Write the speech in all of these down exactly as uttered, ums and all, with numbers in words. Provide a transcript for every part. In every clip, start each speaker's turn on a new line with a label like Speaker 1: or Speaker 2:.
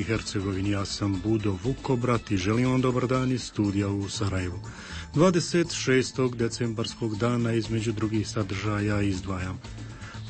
Speaker 1: Hercegovini. Ja sam Budo Vukobrat i želim vam dobar dan iz studija u Sarajevu. dvadeset šestog decembarskog dana između drugih sadržaja izdvajam.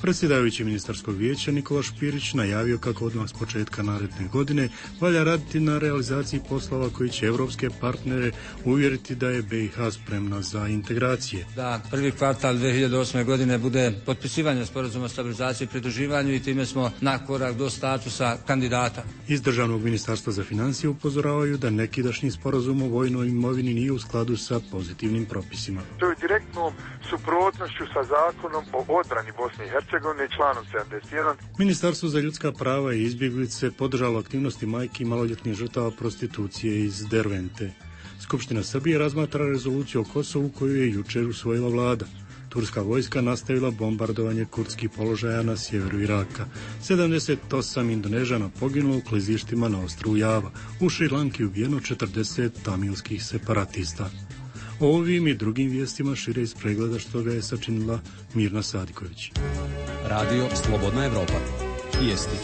Speaker 1: Predsjedavajući ministarskog vijeća Nikola Špirić najavio kako odmah s početka naredne godine valja raditi na realizaciji poslova koji će evropske partnere uvjeriti da je be i ha spremna za integracije.
Speaker 2: Da prvi kvartal dvije hiljade osme. godine bude potpisivanje sporazuma o stabilizaciji i pridruživanju i time smo na korak do statusa kandidata.
Speaker 1: Iz Državnog ministarstva za financije upozoravaju da nekidašnji sporazum o vojnoj imovini nije u skladu sa pozitivnim propisima.
Speaker 3: To je direktnom suprotnošću sa zakonom o odbrani Bosne i Hercegovine. Članom sedamdeset jedan.
Speaker 1: Ministarstvo za ljudska prava i izbjeglice podržalo aktivnosti majki i maloljetnih žrtava prostitucije iz Dervente. Skupština Srbije razmatra rezoluciju o Kosovu koju je jučer usvojila vlada. Turska vojska nastavila bombardovanje kurdskih položaja na sjeveru Iraka. sedamdeset osam Indonežana poginulo u klizištima na ostrvu Java. U Šrilanki ubijeno četrdeset tamilskih separatista. O ovim i drugim vijestima šire iz pregleda što ga je sačinila Mirna Sadiković.
Speaker 4: Radio Slobodna Evropa. Vijesti.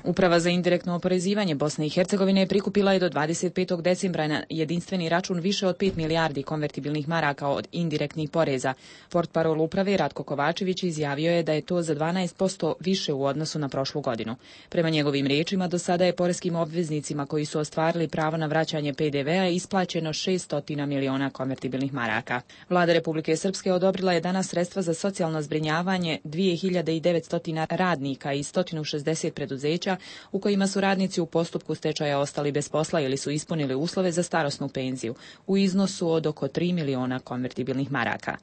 Speaker 5: Uprava za indirektno oporezivanje Bosne i Hercegovine prikupila je do dvadeset petog decembra na jedinstveni račun više od pet milijardi konvertibilnih maraka od indirektnih poreza. Portparol uprave Ratko Kovačević izjavio je da je to za dvanaest posto više u odnosu na prošlu godinu. Prema njegovim riječima, do sada je poreskim obveznicima koji su ostvarili pravo na vraćanje pe de vea isplaćeno šesnaest miliona konvertibilnih maraka. Vlada Republike Srpske odobrila je danas sredstva za socijalno zbrinjavanje dvije hiljade devetsto radnika i sto šezdeset preduzeća u kojima su radnici u postupku stečaja ostali bez posla ili su ispunili uslove za starosnu penziju u iznosu od oko tri miliona konvertibilnih maraka.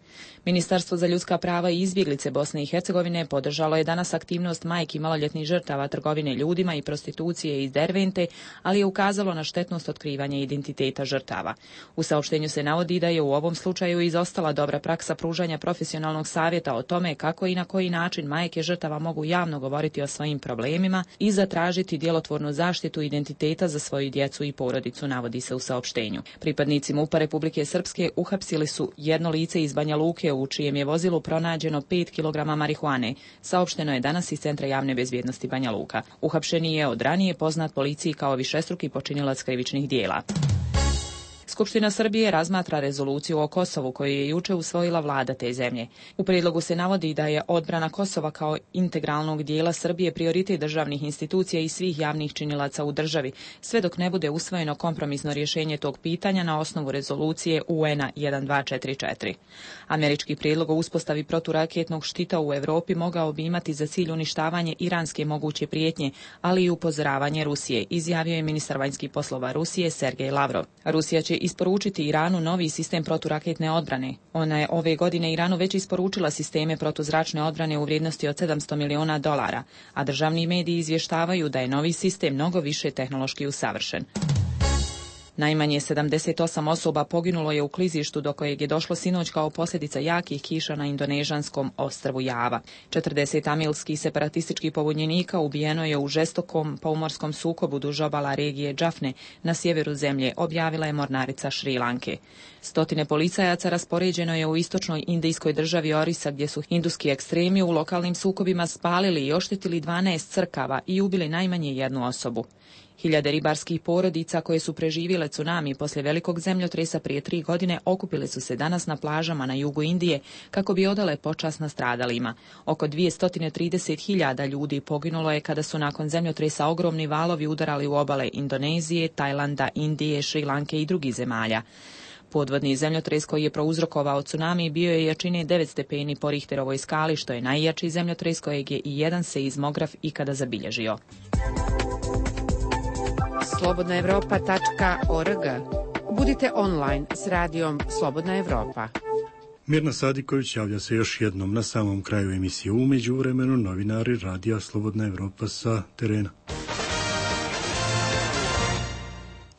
Speaker 5: Ministarstvo za ljudska prava i izbjeglice Bosne i Hercegovine podržalo je danas aktivnost majki maloljetnih žrtava trgovine ljudima i prostitucije iz Dervente, ali je ukazalo na štetnost otkrivanja identiteta žrtava. U saopštenju se navodi da je u ovom slučaju izostala dobra praksa pružanja profesionalnog savjeta o tome kako i na koji način majke žrtava mogu javno govoriti o svojim problemima i zatražiti djelotvornu zaštitu identiteta za svoju djecu i porodicu, navodi se u saopštenju. Pripadnici MUP-a Republike Srpske uhapsili su jedno lice iz Banja Luke u čijem je vozilu pronađeno pet kilograma marihuane. Saopšteno je danas iz Centra javne bezbjednosti Banja Luka. Uhapšeni je od ranije poznat policiji kao višestruki počinilac krivičnih dijela. Skupština Srbije razmatra rezoluciju o Kosovu koju je juče usvojila vlada te zemlje. U prijedlogu se navodi da je odbrana Kosova kao integralnog dijela Srbije prioritet državnih institucija i svih javnih činilaca u državi, sve dok ne bude usvojeno kompromisno rješenje tog pitanja na osnovu rezolucije u en a jedan dva četiri četiri. Američki prijedlog o uspostavi proturaketnog štita u Europi mogao bi imati za cilj uništavanje iranske moguće prijetnje, ali i upozoravanje Rusije, izjavio je ministar vanjskih poslova Rusije Sergej Lavrov. Rusija će isporučiti Iranu novi sistem proturaketne odbrane. Ona je ove godine Iranu već isporučila sisteme protuzračne odbrane u vrijednosti od sedamsto miliona dolara, a državni mediji izvještavaju da je novi sistem mnogo više tehnološki usavršen. Najmanje sedamdeset osam osoba poginulo je u klizištu do kojeg je došlo sinoć kao posljedica jakih kiša na indonežanskom ostrvu Java. četrdeset tamilskih separatističkih pobunjenika ubijeno je u žestokom pomorskom sukobu duž obala regije Džafne na sjeveru zemlje, objavila je mornarica Šrilanke. Stotine policajaca raspoređeno je u istočnoj indijskoj državi Orisa, gdje su hinduski ekstremi u lokalnim sukobima spalili i oštetili dvanaest crkava i ubili najmanje jednu osobu. Hiljade ribarskih porodica koje su preživjele tsunami poslije velikog zemljotresa prije tri godine okupile su se danas na plažama na jugu Indije kako bi odale počast nastradalima. Oko dvjesto trideset hiljada ljudi poginulo je kada su nakon zemljotresa ogromni valovi udarali u obale Indonezije, Tajlanda, Indije, Šrilanke i drugih zemalja. Podvodni zemljotres koji je prouzrokovao tsunami bio je jačine devet stepeni po Richterovoj skali, što je najjači zemljotres kojeg je i jedan seizmograf ikada zabilježio.
Speaker 6: slobodna evropa tačka org. Budite online s radijom Slobodna Evropa.
Speaker 1: Mirna Sadiković javlja se još jednom na samom kraju emisije. U međuvremenu novinari radija Slobodna Evropa sa terena.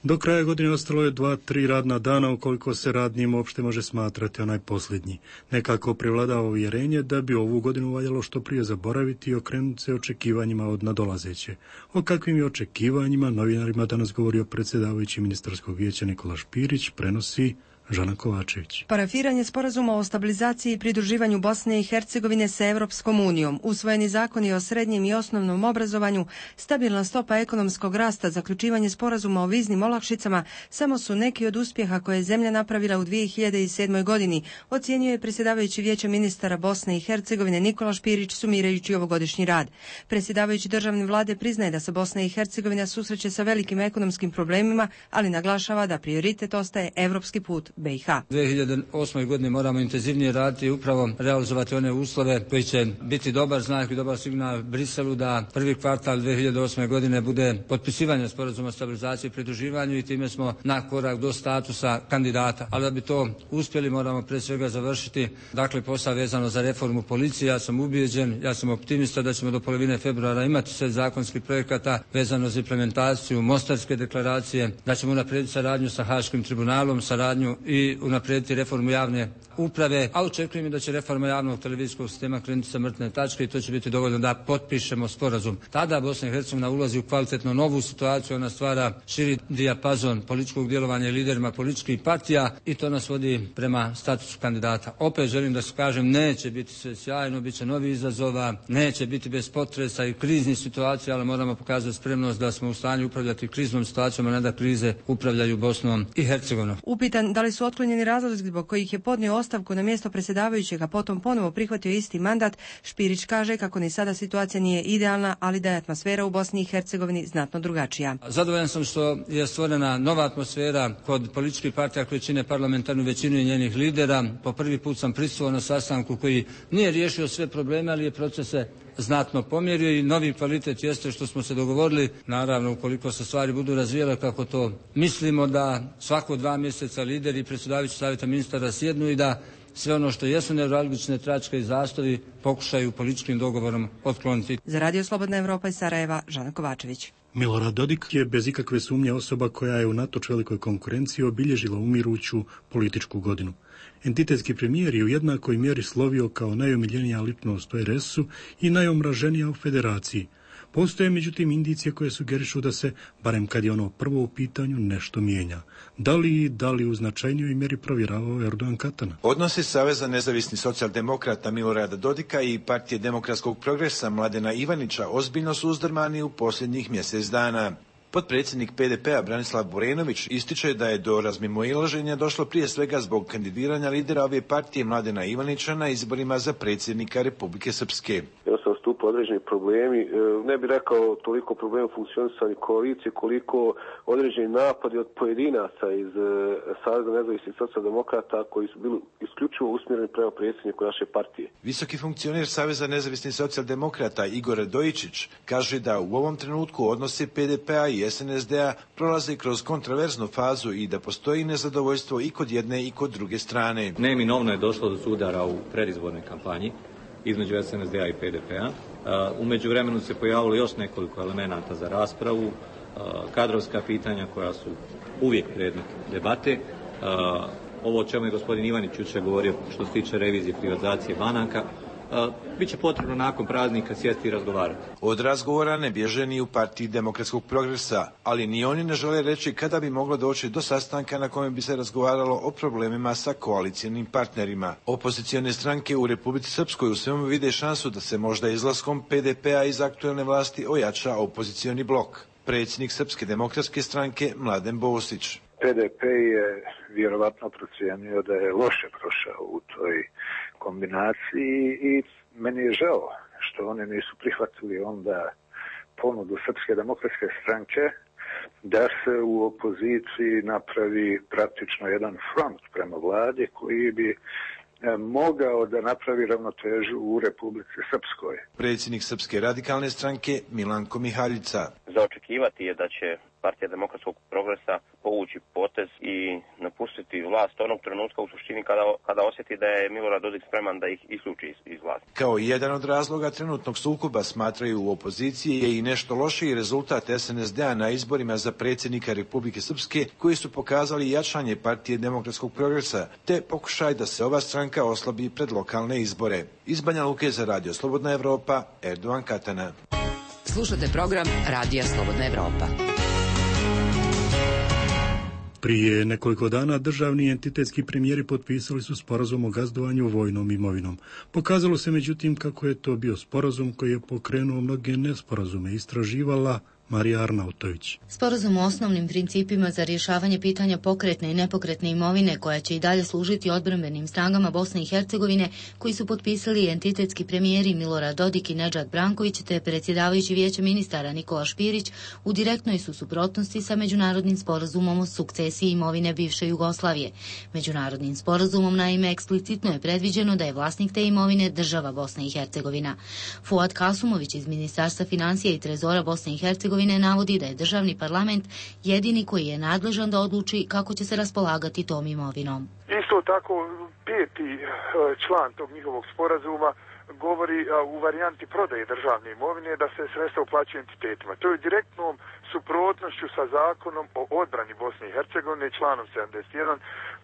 Speaker 1: Do kraja godine ostalo je dva, tri radna dana, ukoliko se radnim uopšte može smatrati onaj posljednji. Nekako prevladava uvjerenje da bi ovu godinu valjalo što prije zaboraviti i okrenuti se očekivanjima od nadolazeće. O kakvim je očekivanjima novinarima danas govorio predsjedavajući ministarskog vijeća Nikola Špirić, prenosi Žana Kovačević.
Speaker 7: Parafiranje sporazuma o stabilizaciji i pridruživanju Bosne i Hercegovine sa Evropskom unijom, usvojeni zakoni o srednjem i osnovnom obrazovanju, stabilna stopa ekonomskog rasta, zaključivanje sporazuma o viznim olakšicama samo su neki od uspjeha koje je zemlja napravila u dvije hiljade sedmoj godini, ocjenjuje predsjedavajući Vijeća ministara Bosne i Hercegovine Nikola Špirić sumirajući ovogodišnji rad. Predsjedavajući državne vlade priznaje da se Bosna i Hercegovina susreće sa velikim ekonomskim problemima, ali naglašava da prioritet ostaje evropski put be i ha.
Speaker 2: dvije hiljade osme. godine moramo intenzivnije raditi i upravo realizovati one uslove koji će biti dobar znak i dobar signal Briselu da prvi kvartal dvije hiljade osme. godine bude potpisivanje sporazuma o stabilizaciji i pridruživanju i time smo na korak do statusa kandidata. Ali da bi to uspjeli moramo pre svega završiti dakle posao vezano za reformu policije. Ja sam ubijeđen, ja sam optimista da ćemo do polovine februara imati sve zakonskih projekata vezano za implementaciju Mostarske deklaracije, da ćemo unaprijediti saradnju sa Haškim tribunalom, saradnju i unaprijediti reformu javne uprave, a očekujem da će reforma javnog televizijskog sistema krenuti sa mrtve tačke i to će biti dovoljno da potpišemo sporazum. Tada Bosna i Hercegovina ulazi u kvalitetno novu situaciju, ona stvara širi dijapazon političkog djelovanja i liderima političkih partija i to nas vodi prema statusu kandidata. Opet želim da se kažem, neće biti sve sjajno, bit će novi izazova, neće biti bez potresa i kriznih situacija, ali moramo pokazati spremnost da smo u stanju upravljati kriznom situacijom, a ne da krize upravljaju Bosnom i Hercegovinom.
Speaker 7: Upitan da li su otklonjeni razlozi zbog kojih je podnio ostavku na mjesto predsjedavajućeg, a potom ponovo prihvatio isti mandat, Špirić kaže kako ni sada situacija nije idealna, ali da je atmosfera u Bosni i Hercegovini znatno drugačija.
Speaker 2: Zadovoljan sam što je stvorena nova atmosfera kod političkih partija koje čine parlamentarnu većinu i njenih lidera. Po prvi put sam prisustvovao na sastanku koji nije riješio sve probleme, ali je procese znatno pomjerio i novi kvalitet jeste što smo se dogovorili, naravno ukoliko se stvari budu razvijele kako to mislimo, da svako dva mjeseca lideri i predsjedavajući savjeta ministara sjednu i da sve ono što jesu neuralgične tračke i zastoji pokušaju političkim dogovorom otkloniti.
Speaker 7: Za Radio Slobodna Evropa iz Sarajeva, Žana Kovačević.
Speaker 1: Milorad Dodik je bez ikakve sumnje osoba koja je unatoč velikoj konkurenciji obilježila umiruću političku godinu. Entitetski premijer je u jednakoj mjeri slovio kao najomiljenija ličnost u er es-u i najomraženija u federaciji. Postoje međutim indicije koje sugerišu da se, barem kad je ono prvo u pitanju, nešto mijenja. Da li, da li u značajnijoj mjeri provjeravao Erdogan Katana?
Speaker 8: Odnosi Saveza nezavisnih socijaldemokrata Milorada Dodika i Partije demokratskog progresa Mladena Ivanića ozbiljno su uzdrmani u posljednjih mjesec dana. Potpredsjednik pe de pe-a Branislav Borenović ističe da je do razmimoilaženja došlo prije svega zbog kandidiranja lidera ove partije Mladena Ivanića na izborima za predsjednika Republike Srpske.
Speaker 9: Jednostavno stupa određeni problemi, ne bih rekao toliko problema funkcionisanja koalicije, koliko određeni napadi od pojedinaca iz Saveza nezavisnih socijaldemokrata koji su bili isključivo usmjereni prema predsjedniku naše partije.
Speaker 8: Visoki funkcioner Saveza nezavisnih socijaldemokrata Igor Radojičić kaže da u ovom trenutku odnosi pe de pe-a i es en es de-a prolaze kroz kontraverznu fazu i da postoji nezadovoljstvo i kod jedne i kod druge strane.
Speaker 10: Neminovno je došlo do sudara u predizbornoj kampanji između es en es de-a i pe de pe-a. U međuvremenu se pojavilo još nekoliko elemenata za raspravu, kadrovska pitanja koja su uvijek predmet debate. Ovo o čemu je gospodin Ivanić jučer govorio što se tiče revizije privatizacije banaka, biće potrebno nakon praznika sjesti i razgovarati.
Speaker 8: Od razgovora ne bježe ni u Partiji demokratskog progresa, ali ni oni ne žele reći kada bi moglo doći do sastanka na kojem bi se razgovaralo o problemima sa koalicijalnim partnerima. Opozicione stranke u Republici Srpskoj u svemu vide šansu da se možda izlaskom pe de pe-a iz aktuelne vlasti ojača opozicioni blok. Predsjednik Srpske demokratske stranke Mladen Bosić.
Speaker 11: pe de pe je vjerovatno procijenio da je loše prošao u toj kombinaciji i meni je žao što oni nisu prihvatili onda ponudu Srpske demokratske stranke da se u opoziciji napravi praktično jedan front prema vladi koji bi mogao da napravi ravnotežu u Republici Srpskoj.
Speaker 8: Predsjednik Srpske radikalne stranke Milanko Mihaljica.
Speaker 12: Za očekivati je da će Partija demokratskog progresa povući potez i napustiti vlast onog trenutka u suštini kada, kada osjeti da je Milorad Dodik spreman da ih isključi iz, iz vlasti.
Speaker 8: Kao jedan od razloga trenutnog sukoba smatraju u opoziciji je i nešto lošiji rezultat es en es de-a na izborima za predsjednika Republike Srpske koji su pokazali jačanje Partije demokratskog progresa te pokušaj da se ova stranka oslabi pred lokalne izbore. Iz Banja Luke za Radio Slobodna Evropa, Erdogan Katana.
Speaker 6: Slušate program Radija Slobodna Evropa.
Speaker 1: Prije nekoliko dana državni entitetski premijeri potpisali su sporazum o gazdovanju vojnom imovinom. Pokazalo se međutim kako je to bio sporazum koji je pokrenuo mnoge nesporazume, istraživala Marija Arnautović.
Speaker 13: Sporazum o osnovnim principima za rješavanje pitanja pokretne i nepokretne imovine koja će i dalje služiti odbrambenim snagama Bosne i Hercegovine, koji su potpisali entitetski premijeri Milorad Dodik i Nedžad Branković te predsjedavajući vijeća ministara Nikola Špirić, u direktnoj su suprotnosti sa međunarodnim sporazumom o sukcesiji imovine bivše Jugoslavije. Međunarodnim sporazumom naime eksplicitno je predviđeno da je vlasnik te imovine država Bosne i Hercegovina. Fuad Kasumović iz Ministarstva financija i trezora Bosne i Hercegovine navodi da je državni parlament jedini koji je nadležan da odluči kako će se raspolagati tom imovinom.
Speaker 3: Isto tako, peti član tog njihovog sporazuma govori u varijanti prodaje državne imovine da se sredstva uplaćuju entitetima. To je direktnom suprotnošću sa zakonom o odbrani Bosne i Hercegovine, članom sedamdeset jedan,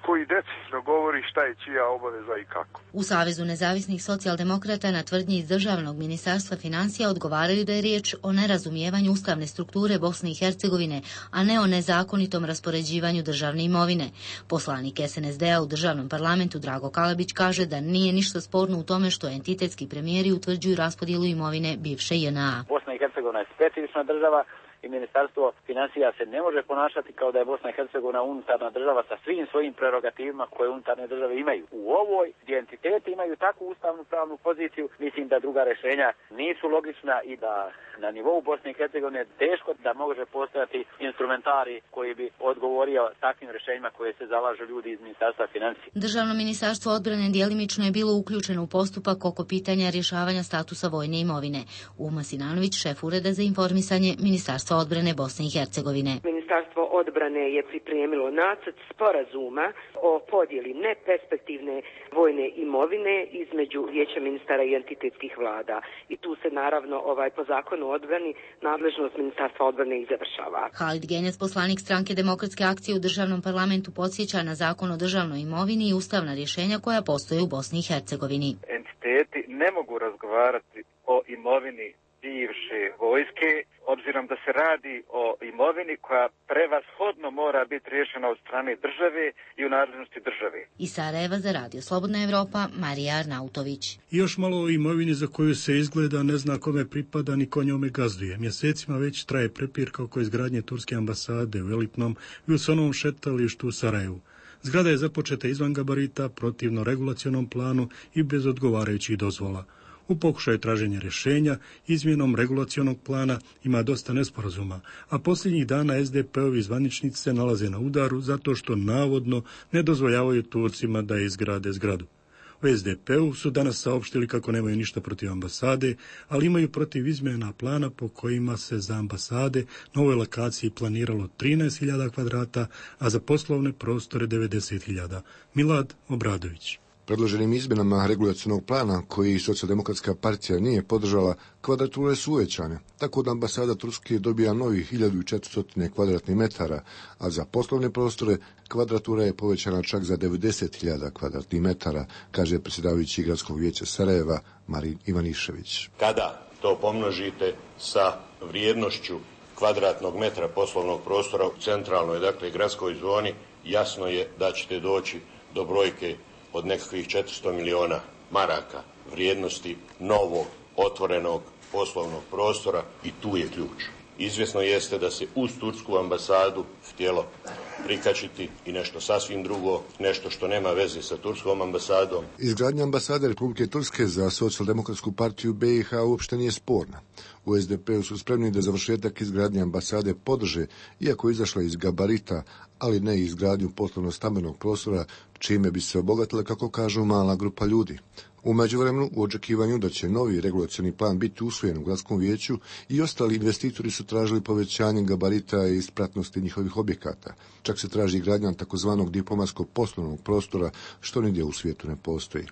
Speaker 3: koji decidno govori šta je čija obaveza i kako.
Speaker 13: U Savezu nezavisnih socijaldemokrata na tvrdnji iz Državnog ministarstva financija odgovaraju da je riječ o nerazumijevanju ustavne strukture Bosne i Hercegovine, a ne o nezakonitom raspoređivanju državne imovine. Poslanik es en es de a u državnom parlamentu Drago Kalabić kaže da nije ništa sporno u tome što entitetski premijeri utvrđuju raspodjelu imovine bivše je en a.
Speaker 14: Bosna i Hercegovina je specifična država i Ministarstvo financija se ne može ponašati kao da je Bosna i Hercegovina unutarnja država sa svim svojim prerogativima koje unutarnje države imaju. U ovoj gdje entiteti imaju takvu ustavnu pravnu poziciju, mislim da druga rješenja nisu logična i da na nivou Bosne i Hercegovine teško da može postojati instrumentari koji bi odgovorio takvim rješenjima koje se zalažu ljudi iz Ministarstva financija.
Speaker 13: Državno ministarstvo odbrane djelimično je bilo uključeno u postupak oko pitanja rješavanja statusa vojne imovine. Uma Sinanović, šef ureda za informisanje Ministarstva odbrane Bosne i Hercegovine.
Speaker 15: Ministarstvo odbrane je pripremilo nacrt sporazuma o podjeli neperspektivne vojne imovine između vijeća ministara i entitetskih vlada. I tu se naravno ovaj po zakonu o odbrani nadležnost Ministarstva odbrane i završava.
Speaker 13: Halid Genjac, poslanik stranke Demokratske akcije u državnom parlamentu, podsjeća na zakon o državnoj imovini i ustavna rješenja koja postoje u Bosni i Hercegovini.
Speaker 16: Entiteti ne mogu razgovarati o imovini bivše vojske, obzirom da se radi o imovini koja prevashodno mora biti riješena od strane države i u nadležnosti države.
Speaker 13: Iz Sarajeva za Radio Slobodna Evropa, Marija Arnautović.
Speaker 1: I još malo o imovini za koju se izgleda ne zna kome pripada ni ko njome gazduje. Mjesecima već traje prepirka oko izgradnje turske ambasade u elitnom Wilsonovom šetalištu u Sarajevu. Zgrada je započeta izvan gabarita, protivno regulacionom planu i bez odgovarajućih dozvola. U pokušaju traženja rješenja, izmjenom regulacionog plana ima dosta nesporazuma, a posljednjih dana es de pe-ovi zvaničnici se nalaze na udaru zato što navodno ne dozvoljavaju Turcima da izgrade zgradu. U es de pe-u su danas saopštili kako nemaju ništa protiv ambasade, ali imaju protiv izmjena plana po kojima se za ambasade na ovoj lokaciji planiralo trinaest hiljada kvadrata, a za poslovne prostore devedeset hiljada. Milad Obradović.
Speaker 17: Predloženim izmjenama regulacionog plana, koji Socijaldemokratska partija nije podržala, kvadrature su uvećane, tako da ambasada Turske dobija novih hiljadu četiristo kvadratnih metara, a za poslovne prostore kvadratura je povećana čak za devedeset hiljada kvadratnih metara, kaže predsjedavajući gradskog vijeća Sarajeva Marin Ivanišević.
Speaker 18: Kada to pomnožite sa vrijednošću kvadratnog metra poslovnog prostora u centralnoj, dakle, gradskoj zoni, jasno je da ćete doći do brojke od nekakvih četiristo miliona maraka vrijednosti novog, otvorenog poslovnog prostora i tu je ključ. Izvjesno jeste da se uz tursku ambasadu htjelo prikačiti i nešto sasvim drugo, nešto što nema veze sa turskom ambasadom.
Speaker 17: Izgradnja ambasade Republike Turske za Socijaldemokratsku partiju be i ha uopšte nije sporna. U es de pe-u su spremni da završetak izgradnje ambasade podrže, iako je izašla iz gabarita, ali ne i izgradnju poslovno-stambenog prostora, čime bi se obogatila, kako kažu, mala grupa ljudi. U međuvremenu, u očekivanju da će novi regulacioni plan biti usvojen u gradskom vijeću, i ostali investitori su tražili povećanje gabarita i ispratnosti njihovih objekata. Čak se traži gradnja takozvanog diplomatskog poslovnog prostora, što nigdje u svijetu ne postoji.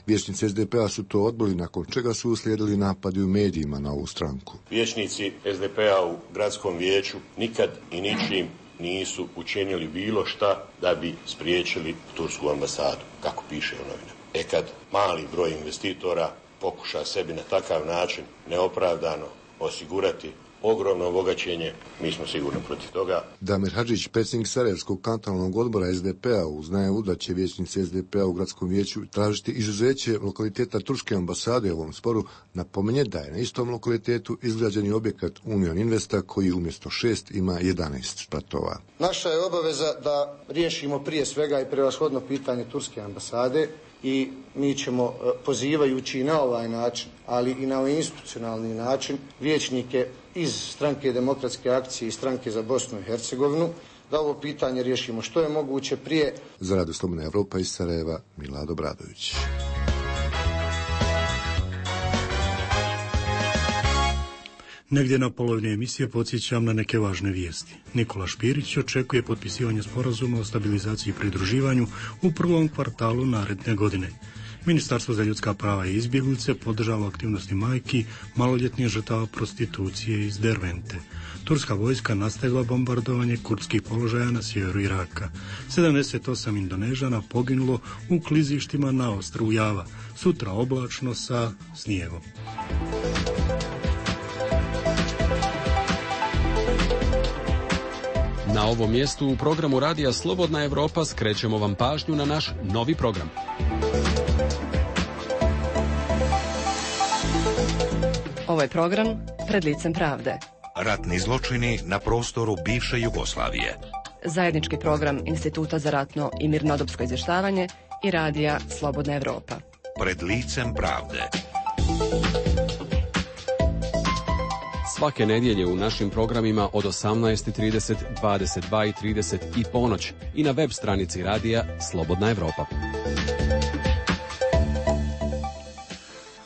Speaker 17: Vijećnici es de pe-a su to odbili, nakon čega su uslijedili napadi u medijima na ovu stranku.
Speaker 18: Vijećnici es de pe-a u gradskom vijeću nikad i ničim nisu učinili bilo šta da bi spriječili tursku ambasadu, kako piše u novinama. E kad mali broj investitora pokuša sebi na takav način neopravdano osigurati ogromno bogaćenje, mi smo sigurno protiv toga.
Speaker 17: Damir Hadžić, predsjednik Sarajevskog kantonalnog odbora S D P-a, uz najavu da će vijećnici S D P-a u gradskom vijeću tražiti izuzeće lokaliteta turske ambasade u ovom sporu, napominje da je na istom lokalitetu izgrađeni objekat Union Investa koji umjesto šest ima jedanaest spratova.
Speaker 19: Naša je obaveza da riješimo prije svega i prevashodno pitanje turske ambasade i mi ćemo, pozivajući na ovaj način, ali i na ovaj institucionalni način, vijećnike iz Stranke demokratske akcije i Stranke za Bosnu i Hercegovinu, da ovo pitanje riješimo što je moguće prije.
Speaker 17: Za Radio Slobodna Evropa iz Sarajeva, Milad Obradović.
Speaker 1: Negdje na polovini emisije podsjećam na neke važne vijesti. Nikola Špirić očekuje potpisivanje sporazuma o stabilizaciji i pridruživanju u prvom kvartalu naredne godine. Ministarstvo za ljudska prava i izbjeglice podržava aktivnosti majki maloljetnih žrtava prostitucije iz Dervente. Turska vojska nastavila bombardovanje kurdskih položaja na sjeveru Iraka. sedamdeset osam Indonežana poginulo u klizištima na ostrvu Java. Sutra oblačno sa snijegom.
Speaker 4: Na ovom mjestu u programu Radija Slobodna Evropa skrećemo vam pažnju na naš novi program.
Speaker 20: Ovo je program Pred licem pravde.
Speaker 21: Ratni zločini na prostoru bivše Jugoslavije.
Speaker 20: Zajednički program Instituta za ratno i mirnodopsko izvještavanje i Radija Slobodna Evropa.
Speaker 21: Pred licem pravde.
Speaker 4: Svake nedjelje u našim programima od osamnaest i trideset, dvadeset dva i trideset i ponoć i na web stranici Radija Slobodna Evropa.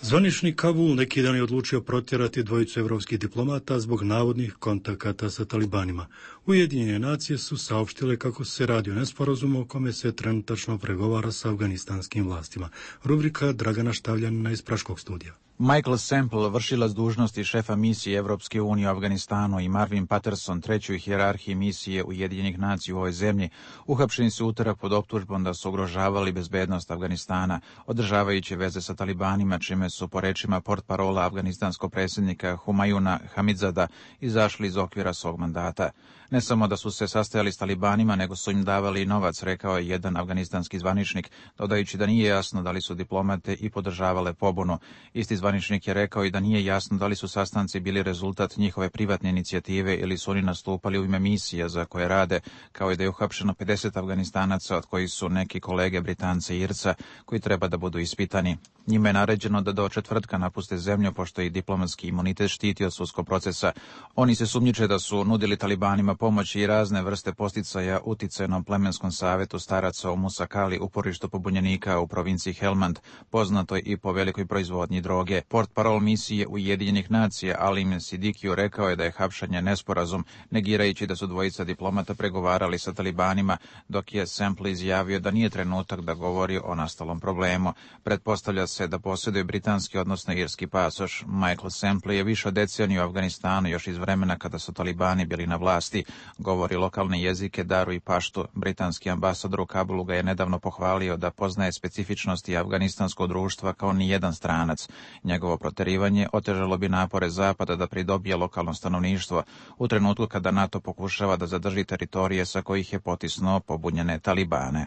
Speaker 1: Zvanični Kabul neki dan je odlučio protjerati dvojicu evropskih diplomata zbog navodnih kontakata sa talibanima. Ujedinjene nacije su saopštile kako se radi o nesporazumu o kome se trenutačno pregovara sa afganistanskim vlastima. Rubrika Dragana Štavljanina iz Praškog studija.
Speaker 22: Michael Semple, vršilac dužnosti šefa misije Evropske unije u Afganistanu, i Marvin Patterson, treći u hijerarhiji misije Ujedinjenih nacija u ovoj zemlji, uhapšeni su utorak pod optužbom da su ugrožavali bezbednost Afganistana, održavajući veze sa talibanima, čime su po rečima portparola afganistanskog predsjednika Humayuna Hamidzada izašli iz okvira svog mandata. Ne samo da su se sastajali s talibanima, nego su im davali novac, rekao je jedan afganistanski zvaničnik, dodajući da nije jasno da li su diplomate i podržavale pobunu. Isti zvaničnik je rekao i da nije jasno da li su sastanci bili rezultat njihove privatne inicijative ili su oni nastupali u ime misija za koje rade, kao i da je uhapšeno pedeset Afganistanaca, od kojih su neki kolege Britance i Irca, koji treba da budu ispitani. Njima je naređeno da do četvrtka napuste zemlju, pošto ih diplomatski imunitet štiti od sudskog procesa. Oni se sumnjiče da su nudili talibanima pomoći i razne vrste posticaja uticajnom plemenskom savjetu staraca u Musakali, uporištu pobunjenika u provinciji Helmand, poznatoj i po velikoj proizvodnji droge. Portparol misije Ujedinjenih nacija Alim Sidikiju rekao je da je hapšanje nesporazum, negirajući da su dvojica diplomata pregovarali sa talibanima, dok je Semple izjavio da nije trenutak da govori o nastalom problemu. Pretpostavlja se da posjeduje britanski, odnosno irski pasoš. Michael Semple je više od deceniju u Afganistanu, još iz vremena kada su talibani bili na vlasti. Govori lokalne jezike, daru i paštu. Britanski ambasador u Kabulu ga je nedavno pohvalio da poznaje specifičnosti afganistanskog društva kao ni jedan stranac. Njegovo proterivanje otežalo bi napore Zapada da pridobije lokalno stanovništvo u trenutku kada NATO pokušava da zadrži teritorije sa kojih je potisnuo pobunjene talibane.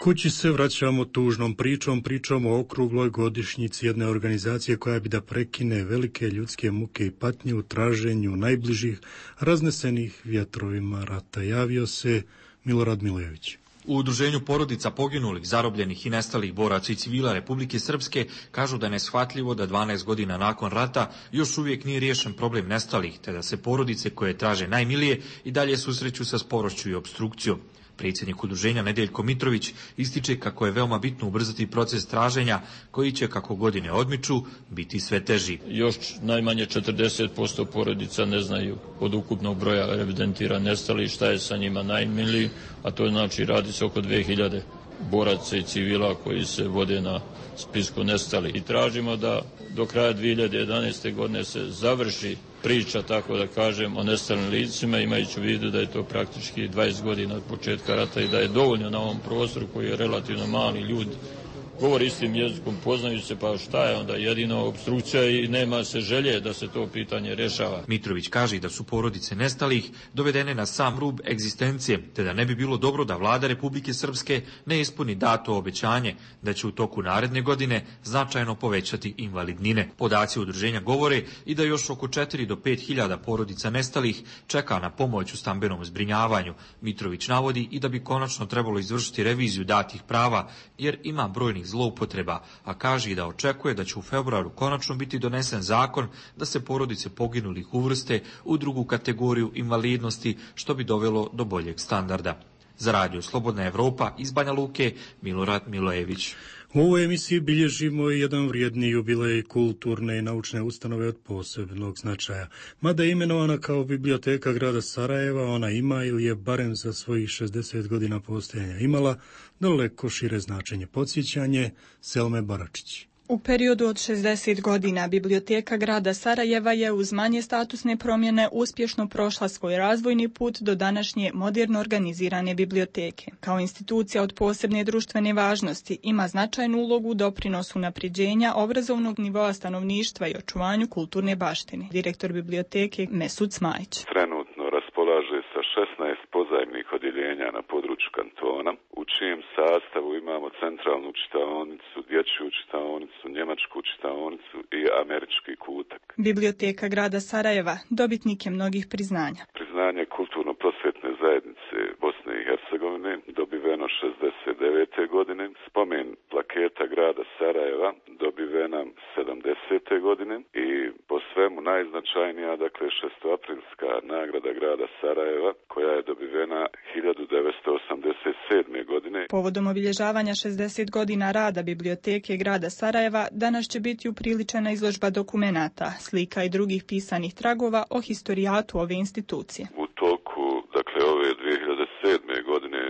Speaker 1: Kući se vraćamo tužnom pričom, pričom o okrugloj godišnjici jedne organizacije koja bi da prekine velike ljudske muke i patnje u traženju najbližih raznesenih vjetrovima rata. Javio se Milorad Milojević.
Speaker 23: U udruženju porodica poginulih, zarobljenih i nestalih boraca i civila Republike Srpske kažu da je neshvatljivo da dvanaest godina nakon rata još uvijek nije riješen problem nestalih, te da se porodice koje traže najmilije i dalje susreću sa sporošću i obstrukcijom. Predsjednik udruženja Nedeljko Mitrović ističe kako je veoma bitno ubrzati proces traženja koji će, kako godine odmiču, biti sve teži.
Speaker 24: Još najmanje četrdeset posto porodica ne znaju od ukupnog broja evidentira nestali šta je sa njima najmiliji, a to znači radi se oko dve hiljade boraca i civila koji se vode na spisku nestali. I tražimo da do kraja dvije hiljade jedanaeste. godine se završi priča, tako da kažem, o nestalim licima, imajući u vidu da je to praktički dvadeset godina od početka rata i da je dovoljno na ovom prostoru koji je relativno mali, ljudi govori istim jezikom, poznaju se, pa šta je onda jedino obstrukcija i nema se želje da se to pitanje rješava.
Speaker 23: Mitrović kaže da su porodice nestalih dovedene na sam rub egzistencije, te da ne bi bilo dobro da vlada Republike Srpske ne ispuni dato obećanje da će u toku naredne godine značajno povećati invalidnine. Podaci udruženja govore i da još oko četiri do pet hiljada porodica nestalih čeka na pomoć u stambenom zbrinjavanju. Mitrović navodi i da bi konačno trebalo izvršiti reviziju datih prava, jer ima brojnih zloupotreba, a kaže i da očekuje da će u februaru konačno biti donesen zakon da se porodice poginulih uvrste u drugu kategoriju invalidnosti, što bi dovelo do boljeg standarda. Za radio Slobodna Evropa iz Banja Luke, Milorad Milojević.
Speaker 1: U ovoj emisiji bilježimo i jedan vrijedni jubilej kulturne i naučne ustanove od posebnog značaja. Mada je imenovana kao biblioteka grada Sarajeva, ona ima ili je barem za svojih šezdeset godina postojanja imala daleko šire značenje. Podsjećanje Selme Baračić.
Speaker 2: U periodu od šezdeset godina biblioteka grada Sarajeva je uz manje statusne promjene uspješno prošla svoj razvojni put do današnje moderno organizirane biblioteke. Kao institucija od posebne društvene važnosti ima značajnu ulogu u doprinosu unapređenja obrazovnog nivoa stanovništva i očuvanju kulturne baštine. Direktor biblioteke Mesut Smajić.
Speaker 5: Trenutno raspolaže sa šesnaest pozajmnih odjeljenja na području kantona, u čijem sastavu imamo centralnu čitaonicu, dječju čitaonicu, njemačku čitaonicu i američki kutak.
Speaker 2: Biblioteka grada Sarajeva dobitnik je mnogih priznanja.
Speaker 5: Priznanje kulturno-prosvjetne zajednice Bosne i Hercegovine dobiveno šezdeset devete godine, spomen plaketa grada Sarajeva dobivena sedamdesete godine i po svemu najznačajnija, dakle šestoaprilska nagrada grada Sarajeva koja je dobivena hiljadu devetsto osamdeset sedme godine.
Speaker 2: Povodom obilježavanja šezdeset godina rada biblioteke grada Sarajeva danas će biti upriličena izložba dokumenata, slika i drugih pisanih tragova o historijatu ove institucije.
Speaker 5: U toku, dakle, ove dvije hiljade sedme godine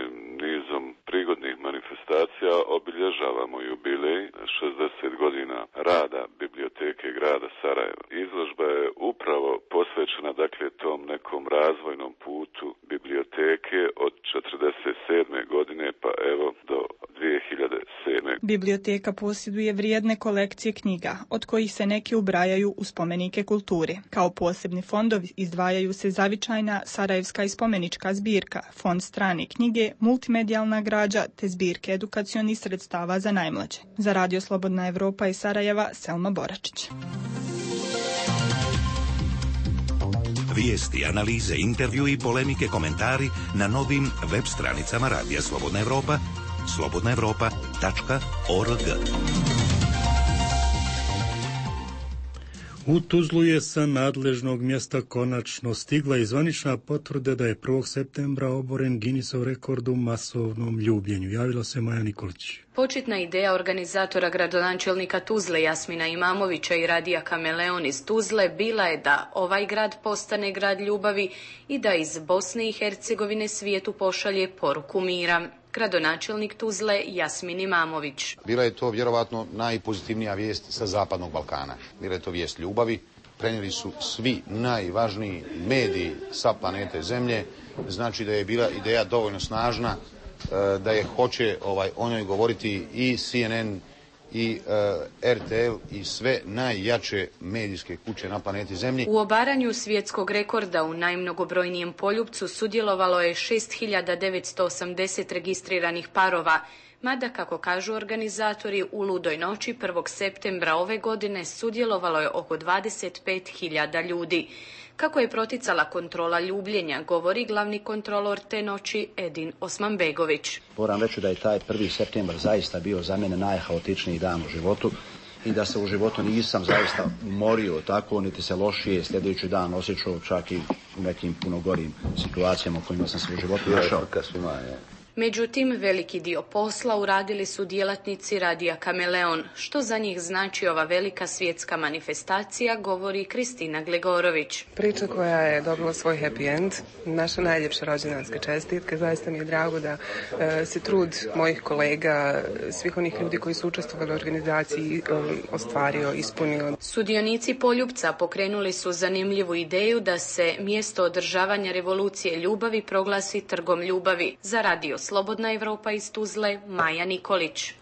Speaker 5: nizom prigodnih manifestacija obilježavamo jubilej šezdeset godina rada biblioteke grada Sarajeva. Izložba je upravo posvećena, dakle, tom nekom razvojnom putu biblioteke od četrdeset sedme godine pa evo do dvije hiljade sedme.
Speaker 2: Biblioteka posjeduje vrijedne kolekcije knjiga, od kojih se neke ubrajaju u spomenike kulture. Kao posebni fondovi izdvajaju se zavičajna sarajevska i spomenička zbirka, fond strane knjige, multimedijalna građa te zbirke edukacionih sredstava za najmlađe. Za radio Slobodna Evropa iz Sarajeva, Selma Boračić.
Speaker 21: Vijesti, analize, intervju i polemike, komentari na novim web stranicama Radija Slobodna Evropa, slobodna evropa tačka org.
Speaker 1: U Tuzlu je sa nadležnog mjesta konačno stigla i zvanična potvrda da je prvog septembra oboren Guinnessov rekord u masovnom ljubljenju. Javila se Maja Nikolić.
Speaker 7: Početna ideja organizatora gradonačelnika Tuzle Jasmina Imamovića i Radija Kameleon iz Tuzle bila je da ovaj grad postane grad ljubavi i da iz Bosne i Hercegovine svijetu pošalje poruku mira. Gradonačelnik Tuzle Jasmin Imamović.
Speaker 9: Bila je to vjerovatno najpozitivnija vijest sa Zapadnog Balkana. Bila je to vijest ljubavi. Prenijeli su svi najvažniji mediji sa planete Zemlje. Znači da je bila ideja dovoljno snažna da je hoće ovaj, o njoj govoriti i C N N i uh, R T L i sve najjače medijske kuće na planeti Zemlji.
Speaker 7: U obaranju svjetskog rekorda u najmnogobrojnijem poljupcu sudjelovalo je šest hiljada devetsto osamdeset registriranih parova, mada, kako kažu organizatori, u ludoj noći prvog septembra ove godine sudjelovalo je oko dvadeset pet hiljada ljudi. Kako je proticala kontrola ljubljenja, govori glavni kontrolor te noći Edin Osmanbegović.
Speaker 25: Moram reći da je taj prvi septembar zaista bio za mene najhaotičniji dan u životu i da se u životu nisam zaista umorio tako, niti se lošije sljedeći dan osjećao, čak i u nekim puno gorim situacijama u kojima sam se u životu našao.
Speaker 7: Međutim, veliki dio posla uradili su djelatnici Radija Kameleon. Što za njih znači ova velika svjetska manifestacija, govori Kristina Glegorović.
Speaker 26: Priča koja je dobila svoj happy end, naša najljepša rođendanska čestitka. Zaista mi je drago da e, se trud mojih kolega, svih onih ljudi koji su učestvovali u organizaciji, e, ostvario, ispunio.
Speaker 7: Sudionici Poljupca pokrenuli su zanimljivu ideju da se mjesto održavanja revolucije ljubavi proglasi trgom ljubavi. Za Radio Slobodna Evropa iz Tuzle, Maja Nikolić.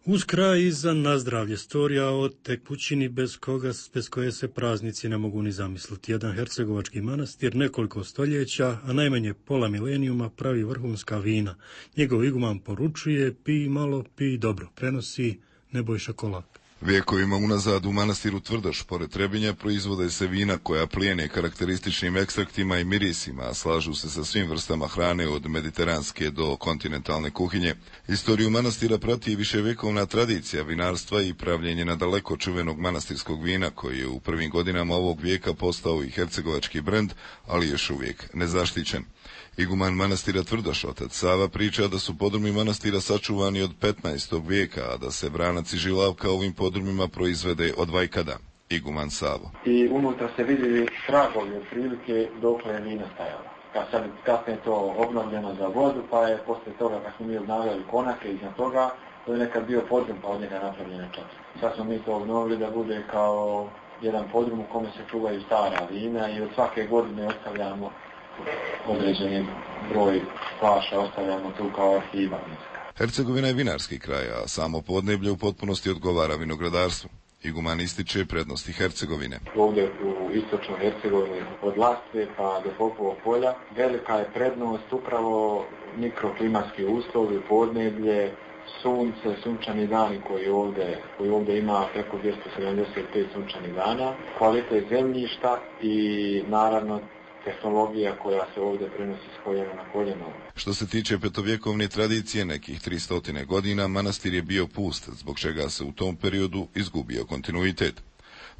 Speaker 1: Uz kraj i za nazdravlje storija o tekućini bez, koga, bez koje se praznici ne mogu ni zamisliti. Jedan hercegovački manastir nekoliko stoljeća, a najmanje pola milenijuma pravi vrhunska vina. Njegov iguman poručuje pi malo, pi dobro. Prenosi Nebojša Kolak.
Speaker 3: Vijekovima unazad u manastiru Tvrdoš, pored Trebinja, proizvode se vina koja plijene karakterističnim ekstraktima i mirisima, a slažu se sa svim vrstama hrane od mediteranske do kontinentalne kuhinje. Istoriju manastira prati viševjekovna tradicija vinarstva i pravljenje nadaleko čuvenog manastirskog vina, koji je u prvim godinama ovog vijeka postao i hercegovački brend, ali još uvijek nezaštićen. Iguman manastira Tvrdoš, otac Sava, priča da su podrumi manastira sačuvani od petnaestog vijeka, a da se vranac i žilavka ovim podrumima proizvede od vajkada. Iguman Savo.
Speaker 6: I unutra se vidjeli tragovi od prilike dokle je vina stajala. Kad sad kasnije je to obnovljeno za vodu, pa je poslije toga kad smo mi obnavljali konake iznad toga, to je nekad bio podrum, pa od njega napravljena čaša. Sad smo mi to obnovili da bude kao jedan podrum u kome se čuvaju stara vina i od svake godine ostavljamo određeni broj flaša, ostavljamo tu kao arhiva.
Speaker 3: Hercegovina je vinarski kraj, a samo podneblje u potpunosti odgovara vinogradarstvu. Iguman ističe prednosti Hercegovine.
Speaker 6: Ovdje u istočnoj Hercegovini od Lastve pa do Popovog polja velika je prednost upravo mikroklimatski uslovi, podneblje, sunce, sunčani dani koji ovdje, koji ovdje ima preko dvjesto sedamdeset pet sunčanih dana, kvalitet zemljišta i naravno tehnologija koja se ovdje prenosi s koljena na koljeno.
Speaker 3: Što se tiče petovjekovne tradicije, nekih tristo godina, manastir je bio pust, zbog čega se u tom periodu izgubio kontinuitet.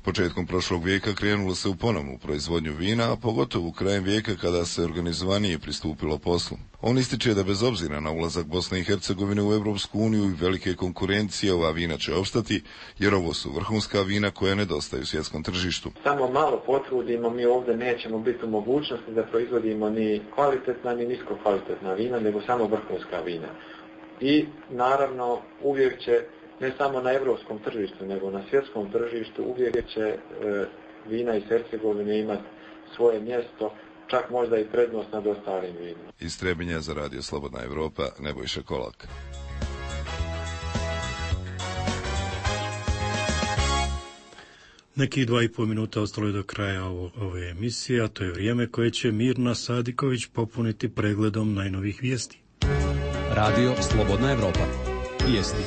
Speaker 3: Početkom prošlog vijeka krenulo se u ponovnu proizvodnju vina, a pogotovo krajem vijeka kada se organizovanije pristupilo poslu. On ističe da bez obzira na ulazak Bosne i Hercegovine u Europsku uniju i velike konkurencije, ova vina će opstati, jer ovo su vrhunska vina koja nedostaju svjetskom tržištu.
Speaker 6: Samo malo potrudimo, mi ovdje nećemo biti u mogućnosti da proizvodimo ni kvalitetna ni nisko kvalitetna vina, nego samo vrhunska vina. I naravno uvijek će ne samo na europskom tržištu, nego na svjetskom tržištu uvijek će e, vina iz Hercegovine imati svoje mjesto, čak možda i prednost nad ostalim vinima.
Speaker 3: Iz Trebinja za Radio Slobodna Evropa, Nebojša Kolak.
Speaker 1: Nekih dva i pol minuta ostalo je do kraja ovo, ove emisije, a to je vrijeme koje će Mirna Sadiković popuniti pregledom najnovih vijesti.
Speaker 4: Radio Slobodna Evropa. Vijesti.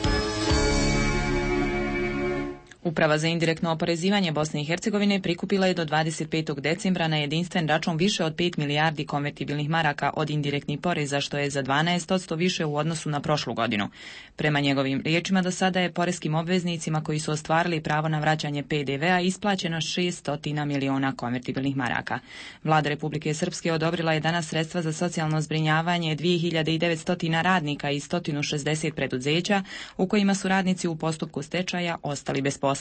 Speaker 8: Uprava za indirektno oporezivanje Bosne i Hercegovine prikupila je do dvadeset petog decembra na jedinstven račun više od pet milijardi konvertibilnih maraka od indirektnih poreza, što je za dvanaest posto više u odnosu na prošlu godinu. Prema njegovim riječima, do sada je poreskim obveznicima koji su ostvarili pravo na vraćanje pe de vea isplaćeno šesto miliona konvertibilnih maraka. Vlada Republike Srpske odobrila je danas sredstva za socijalno zbrinjavanje dvije hiljade devetsto radnika i sto šezdeset preduzeća u kojima su radnici u postupku stečaja ostali bez posla.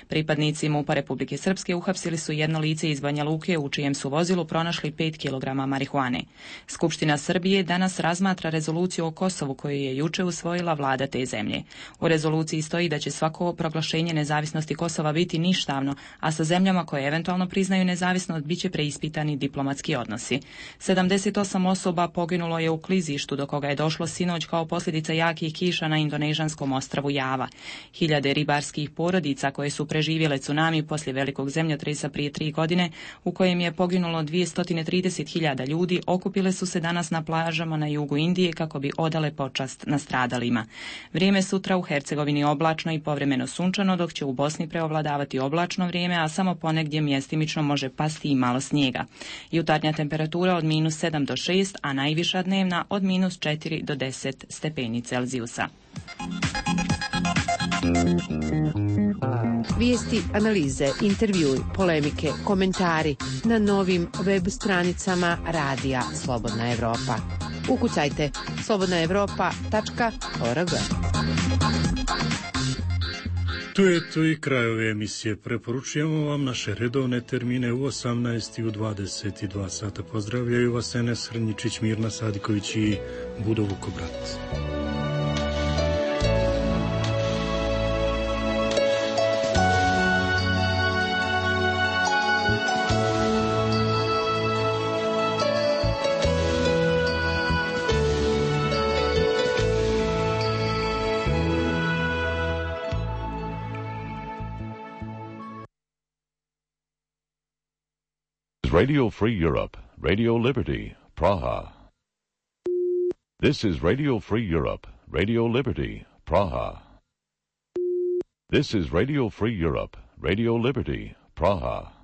Speaker 8: Pripadnici MUP-a Republike Srpske uhapsili su jedno lice iz Banja Luke u čijem su vozilu pronašli pet kilograma marihuane. Skupština Srbije danas razmatra rezoluciju o Kosovu koju je juče usvojila vlada te zemlje. U rezoluciji stoji da će svako proglašenje nezavisnosti Kosova biti ništavno, a sa zemljama koje eventualno priznaju nezavisnost biće preispitani diplomatski odnosi. sedamdeset osam osoba poginulo je u klizištu do koga je došlo sinoć kao posljedica jakih kiša na indonežanskom ostrvu Java. Hiljade ribarskih porodica koje su preživjele tsunami poslije velikog zemljotresa prije tri godine, u kojem je poginulo dvjesto trideset hiljada ljudi, okupile su se danas na plažama na jugu Indije kako bi odale počast nastradalima. Vrijeme sutra u Hercegovini oblačno i povremeno sunčano, dok će u Bosni preovladavati oblačno vrijeme, a samo ponegdje mjestimično može pasti i malo snijega. Jutarnja temperatura od minus sedam do šest, a najviša dnevna od minus četiri do deset stepeni Celzijusa.
Speaker 10: Vijesti, analize, intervjui, polemike, komentari na novim web stranicama Radija Slobodna Evropa. Ukucajte slobodna evropa tačka org.
Speaker 1: Tu je tu i kraj ove emisije. Preporučujemo vam naše redovne termine u osamnaest i u dvadeset dva sata. Pozdravljaju vas Enes Hrnjičić, Mirna Sadiković i Budo Vukobrat.
Speaker 11: Radio Free Europe, Radio Liberty, Praha. This is Radio Free Europe, Radio Liberty, Praha. This is Radio Free Europe, Radio Liberty, Praha.